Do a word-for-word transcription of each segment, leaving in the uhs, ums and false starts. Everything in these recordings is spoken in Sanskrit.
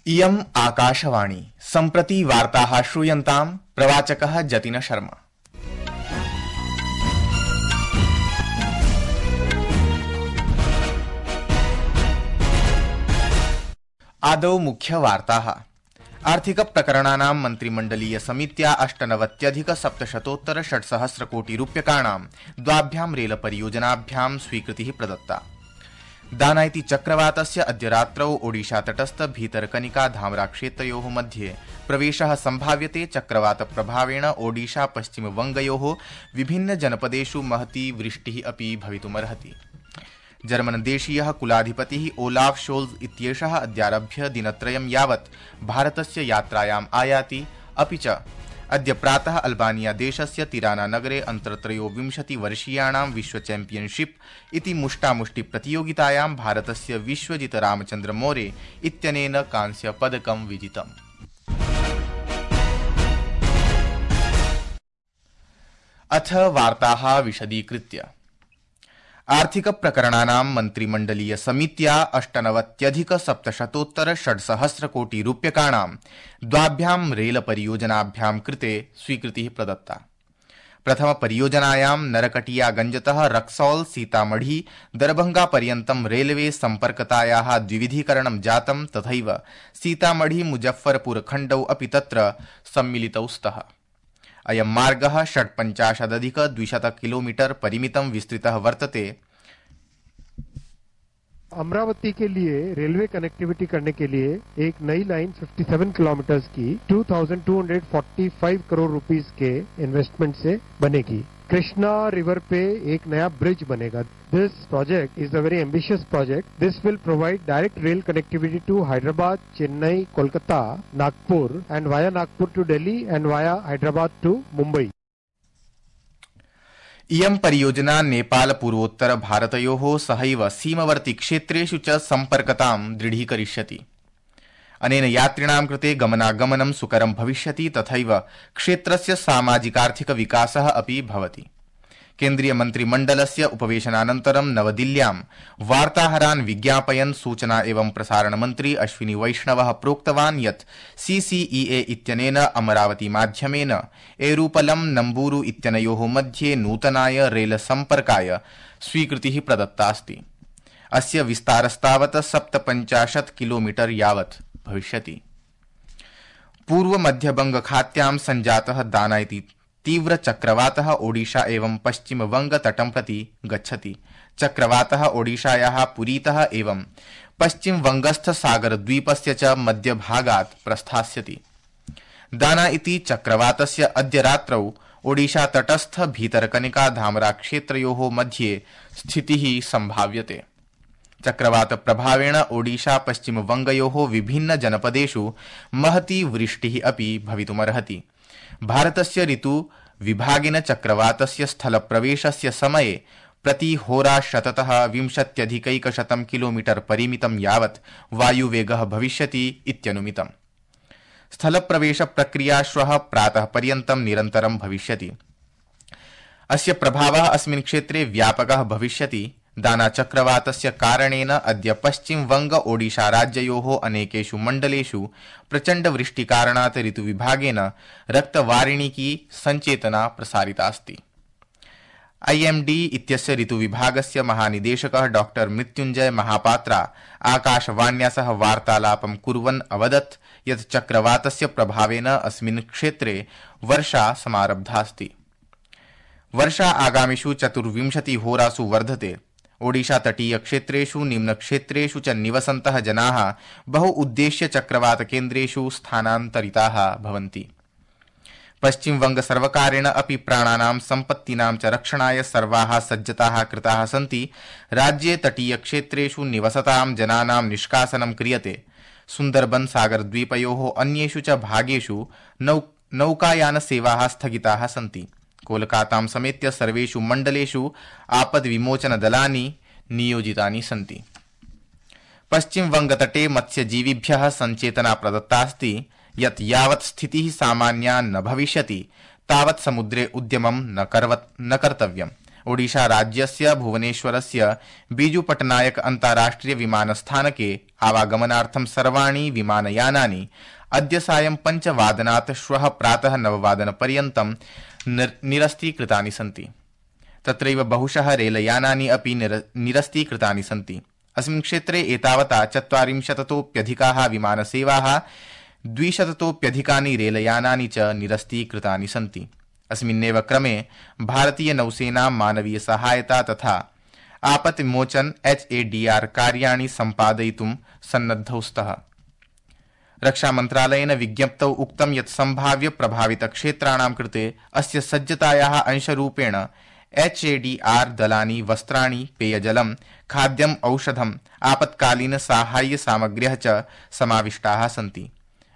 इयम् आकाशवाणी सम्प्रति वार्ताः श्रूयन्ताम् प्रवाचकः जतिन शर्मा। आदौ मुख्यवार्ताः। आर्थिक प्रकरणानां मन्त्रिमण्डलीय समित्या अष्टनवत्यधिक सप्तशतोत्तर षट्सहस्र कोटि रूप्यकाणां द्वाभ्यां रेल परियोजनाभ्यां स्वीकृतिः प्रदत्ता। दानाइति चक्रवातस्य अद्य रात्रौ ओडिशा तटस्थ भीतरकनिका धामरा क्षेत्रयोः मध्ये प्रवेशः सम्भाव्यते। चक्रवात प्रभावेण ओडिशा पश्चिमवङ्गयोः विभिन्न जनपदेषु महती वृष्टिः अपि भवितुमर्हति। जर्मनदेशीयः कुलाधिपतिः ओलाफ शोल्ज इत्येषः अद्यारभ्य दिनत्रयं यावत् भारतस्य यात्रायाम् आयाति। अपि च अद्य प्रातः अल्बानिया देशस्य तिराना नगरे अन्तर्त्रयोविंशतिवर्षीयाणां विश्व चैम्पियनशिप इति मुष्टामुष्टि प्रतियोगितायां भारतस्य विश्वजित रामचन्द्र मोरे इत्यनेन कांस्य पदकं विजितम्। अथ वार्ताः विशदीकृत्य। आर्थिक प्रकरणानां मन्त्रिमण्डलीय समित्या अष्टनवत्यधिक सप्तशतोत्तर षड्सहस्र कोटि रूप्यकाणां द्वाभ्यां रेल परियोजनाभ्यां कृते स्वीकृतिः प्रदत्ता। प्रथम परियोजनायां नरकटियागंजतः रक्सौल सीतामढ़ी दरभंगा पर्यन्तं रेलवे सम्पर्कतायाः द्विविधीकरणं जातं। तथैव सीतामढ़ी मुजफ्फरपुर खण्डौ अपि तत्र सम्मिलितौ स्तः। अयं मार्गः षट्पञ्चाशदधिक द्विशत किलोमीटर परिमितं विस्तृतः वर्तते। अमरावती के लिए रेलवे कनेक्टिविटी करने के लिए एक नई लाइन सत्तावन किलोमीटर की दो हज़ार दो सौ पैंतालीस करोड़ रुपीस के इन्वेस्टमेंट से बनेगी। कृष्णा रिवर पे एक नया ब्रिज बनेगा। This project is a very ambitious project. This will provide direct rail connectivity to Hyderabad, Chennai, Kolkata, Nagpur and via Nagpur two Delhi and वाया हैदराबाद टू मुंबई। इयं परियोजना नेपाल पूर्वोत्तर भारतयोः सहैव सीमवर्ती क्षेत्रेषु च सम्पर्कतां दृढीकरिष्यति। अनेन यात्रिणां कृते गमनागमनं सुकरं भविष्यति। तथैव क्षेत्रस्य सामाजिकार्थिक विकासः अपि भवति। केन्द्रीय मन्त्रिमण्डलस्य उपवेशनानन्तरं नवदिल्ल्यां वार्ताहरान् विज्ञापयन् सूचना एवं प्रसारण मन्त्री अश्विनी वैष्णवः प्रोक्तवान् यत् सीसीईए इत्यनेन अमरावती माध्यमेन एरूपलं नम्बूरु इत्यनयोः मध्ये नूतनाय रेल सम्पर्काय स्वीकृतिः प्रदत्तास्ति। अस्य विस्तारस्तावत् सप्तपञ्चाशत् किलोमीटर यावत् भविष्यति। पूर्व मध्यबंग खात्यां संजातः दानाइति तीव्र चक्रवातः ओडिशा एवं पश्चिमवंग तटं प्रति गच्छति। चक्रवातः ओडिशायाः पुरीतः एवं पश्चिमवंगस्थ सागरद्वीपस्य च मध्यभागात् प्रस्थास्यति। दाना इति चक्रवातस्य अद्य रात्रौ ओडिशा तटस्थ भीतरकनिका धामरा क्षेत्रयोः मध्ये स्थितिः सम्भाव्यते। चक्रवात प्रभावेण ओडिशा पश्चिमवंगयोः विभिन्न जनपदेषु महती वृष्टिः अपि भवितुमर्हति। भारतस्य ऋतु विभागेन चक्रवातस्य स्थलप्रवेशस्य समये प्रति होराशततः विंशत्यधिकैकशतं किलोमीटर परिमितं यावत् वायुवेगः भविष्यति इत्यनुमितम्। स्थलप्रवेश प्रक्रिया श्वः प्रातः पर्यन्तं निरन्तरं भविष्यति। अस्य प्रभावः अस्मिन् क्षेत्रे व्यापकः भविष्यति। दाना चक्रवातस्य कारणेन अद्य पश्चिम वंग ओडिशा राज्ययोः अनेकेषु मण्डलेषु प्रचण्ड वृष्टिकारणात् ऋतुविभागेन रक्तवारिणिकी संचेतना प्रसारितास्ति। आईएमडी इत्यस्य ऋतुविभागस्य महानिदेशकः डॉक्टर मृत्युञ्जय महापात्रा आकाशवाण्या सह वार्तालापं कुर्वन् अवदत् यत् चक्रवातस्य प्रभावेन अस्मिन् क्षेत्रे वर्षा समारब्धास्ति। वर्षा आगामिषु चतुर्विंशति होरासु वर्धते। ओडिशा तटीय क्षेत्रेषु निम्नक्षेत्रेषु च निवसन्तः जनाः बहु उद्देश्य चक्रवात केन्द्रेषु स्थानान्तरिताः भवन्ति। पश्चिम वंग सर्वकारेण अपि प्राणानां सम्पत्तीनां च रक्षणाय सर्वाः सज्जताः कृताः सन्ति। राज्ये तटीय क्षेत्रेषु निवसतां जनानां निष्कासनं क्रियते। सुन्दरबन सागरद्वीपयोः अन्येषु च भागेषु नौ नौकायान सेवाः स्थगिताः सन्ति। कोलकातां समेत्य सर्वेषु मण्डलेषु आपद्विमोचन दलानि नियोजितानि सन्ति। पश्चिम वंगतटे मत्स्यजीविभ्यः संचेतना प्रदत्तास्ति यत् यावत् स्थितिः सामान्या न भविष्यति तावत् समुद्रे उद्यमं न कर्व न कर्तव्यम्। ओडिशा राज्यस्य भुवनेश्वरस्य बीजू पटनायक अन्ताराष्ट्रिय विमानस्थानके आवागमनार्थं सर्वाणि विमानयानानि अद्य सायं पञ्चवादनात् श्वः प्रातः नववादनपर्यन्तं निरस्तीकृतानि सन्ति। तत्रैव बहुशः रेलयानानि अपि निरस्तीकृतानि सन्ति। अस्मिन् क्षेत्रे एतावता चत्वारिंशततोप्यधिकाः विमानसेवाः, द्विशततोप्यधिकानि रेलयानानि च निरस्तीकृतानि सन्ति। अस्मिन्नेव क्रमे भारतीय नौसेना मानवीय सहायता तथा आपत्तिमोचन एच ए डी आर कार्याणि सम्पादयितुं सन्नद्धौ स्तः। रक्षामन्त्रालयेन विज्ञप्तौ उक्तं यत् सम्भाव्य प्रभावित क्षेत्राणां कृते अस्य सज्जतायाः अंशरूपेण एच ए डी आर दलानि वस्त्राणि, पेयजलं, खाद्यम्, औषधम्, आपत्कालीन साहाय्य सामग्र्यः च समाविष्टाः सन्ति।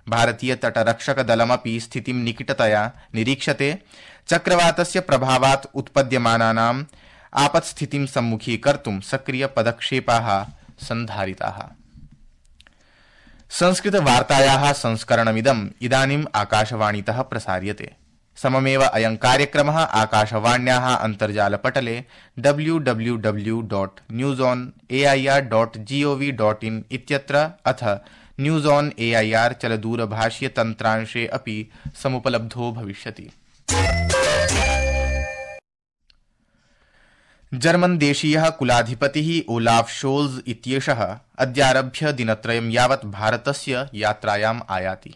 भारतीय तटरक्षक दलमपि स्थितिं निकटतया निरीक्षते। चक्रवातस्य प्रभावात् उत्पद्यमानानाम् आपत्स्थितिं सम्मुखीकर्तुं सक्रिय पदक्षेपाः सन्धारिताः। संस्कृत वार्तायाः संस्करणमिदम् इदानीम् आकाशवाणीतः प्रसार्यते। सममेव अयं कार्यक्रमः आकाशवाण्याः अन्तर्जालपटले W W W dot news on A I R dot G O V dot in इत्यत्र अथ news on A I R चलदूरभाषीय तन्त्रांशे अपि समुपलब्धो भविष्यति। जर्मन देशीयः कुलाधिपतिः ओलाफ शोल्ज इत्येषः अद्यारभ्य दिनत्रयं यावत् भारतस्य यात्रायाम् आयाति।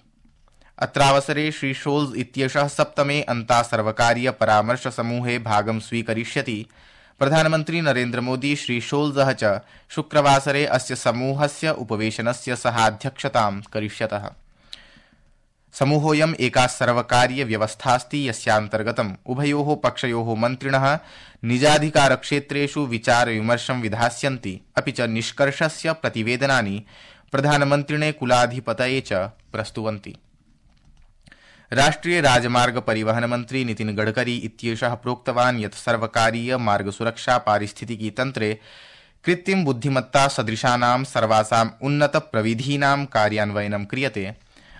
अत्रावसरे श्री शोल्ज इत्येषः सप्तमे अन्तासर्वकारीय परामर्श समूहे भागं स्वीकरिष्यति। प्रधानमन्त्री नरेन्द्र मोदी श्री शोल्जः च शुक्रवासरे अस्य समूहस्य उपवेशनस्य सहाध्यक्षतां करिष्यतः। समूहोऽयम् एका सर्वकारीय व्यवस्थास्ति यस्यान्तर्गतम् उभयोः पक्षयोः मन्त्रिणः निजाधिकारक्षेत्रेषु विचारविमर्शं विधास्यन्ति, अपि च निष्कर्षस्य प्रतिवेदनानि प्रधानमन्त्रिणे कुलाधिपतये च प्रस्तुवन्ति। राष्ट्रीय राजमार्ग परिवहन मंत्री नितिन गडकरी इत्येषः प्रोक्तवान् यत् सर्वकारीय मार्ग सुरक्षा पारिस्थितिकी तन्त्रे कृत्रिम बुद्धिमत्ता सदृशानां सर्वासाम् उन्नत प्रविधीनां कार्यान्वयनं क्रियते।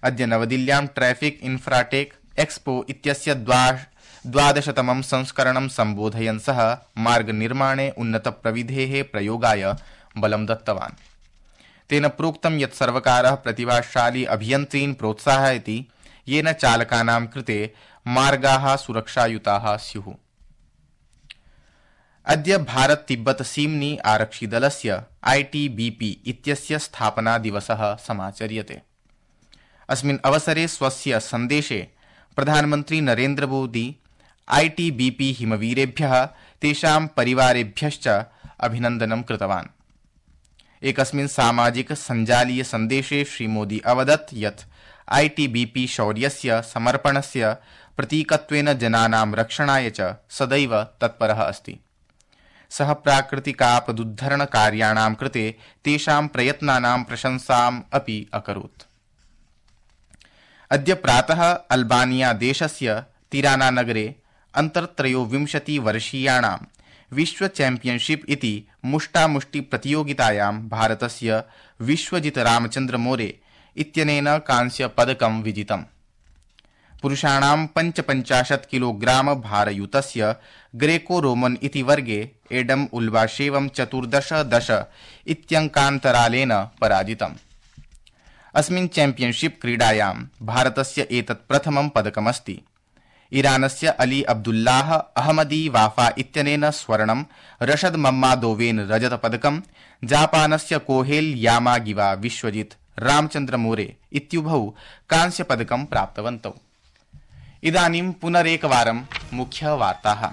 अद्य नवदिल्ल्यां ट्रैफिक इन्फ्राटेक एक्सपो इत्यस्य द्वादशतमं संस्करणं सम्बोधयन् सः मार्ग निर्माणे उन्नत प्रविधेः प्रयोगाय बलं दत्तवान्। तेन प्रोक्तं यत् सर्वकारः प्रतिभाशाली अभियन्त्रीन् प्रोत्साहयति येन चालकानां कृते मार्गाः सुरक्षायुताः स्युः। अद्य भारत तिब्बत सीम्नि आरक्षिदलस्य आई टी बी पी इत्यस्य स्थापना दिवसः समाचर्यते। अस्मिन् अवसरे स्वस्य सन्देशे प्रधानमन्त्री Narendra Modi I T B P हिमवीरेभ्यः तेषां परिवारेभ्यश्च अभिनन्दनं कृतवान्। एकस्मिन् सामाजिक सञ्जालीय सन्देशे श्रीमोदी अवदत् यत् आई टी बी पी शौर्यस्य समर्पणस्य प्रतीकत्वेन जनानां रक्षणाय च सदैव तत्परः अस्ति। सः प्राकृतिकापदुद्धरण कार्याणां कृते तेषां प्रयत्नानां प्रशंसाम् अपि अकरोत्। अद्य प्रातः अल्बानिया देशस्य तिराना नगरे अन्तर्त्रयोविंशति वर्षीयाणां विश्व चैम्पियनशिप इति मुष्टामुष्टि प्रतियोगितायां भारतस्य विश्वजित रामचन्द्र मोरे इत्यनेन कांस्य पदकं विजितम्। पुरुषाणां पञ्चपञ्चाशत् किलोग्राम भारयुतस्य ग्रेको रोमन इति वर्गे एडम उल्बाशेवं चतुर्दश दश इत्यङ्कान्तरालेन पराजितम्। अस्मिन् चैम्पियनशिप क्रीडायां भारतस्य एतत् प्रथमं पदकमस्ति। ईरानस्य अली अब्दुल्लाह अहमदी वाफा इत्यनेन स्वर्णं, रशद मम्मादोवेन रजतपदकं, जापानस्य कोहेल यामागिवा विश्वजित रामचन्द्र मोरे इत्युभौ कांस्यपदकं प्राप्तवन्तौ। इदानीं पुनरेकवारं मुख्यवार्ताः।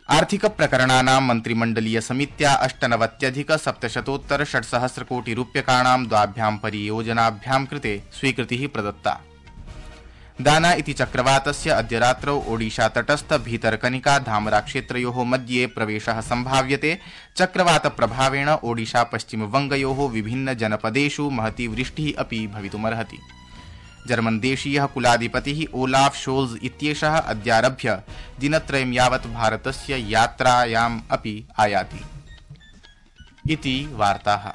आर्थिक प्रकरणानां मन्त्रिमण्डलीय समित्या अष्टनवत्यधिक सप्तशतोत्तर षट्सहस्रकोटि रूप्यकाणां द्वाभ्यां परियोजनाभ्यां कृते स्वीकृतिः प्रदत्ता। दाना इति चक्रवातस्य अद्य रात्रौ ओडिशा तटस्थ भीतरकनिका धामरा क्षेत्रयोः मध्ये प्रवेशः सम्भाव्यते। चक्रवात प्रभावेण ओडिशा पश्चिमवङ्गयोः विभिन्न जनपदेषु महती वृष्टिः अपि भवितुमर्हति। जर्मन देशीयः कुलाधिपतिः ओलाफ शोल्ज इत्येषः अद्यारभ्य दिनत्रयं यावत् भारतस्य यात्रायाम् अपि आयाति। इति वार्ताः।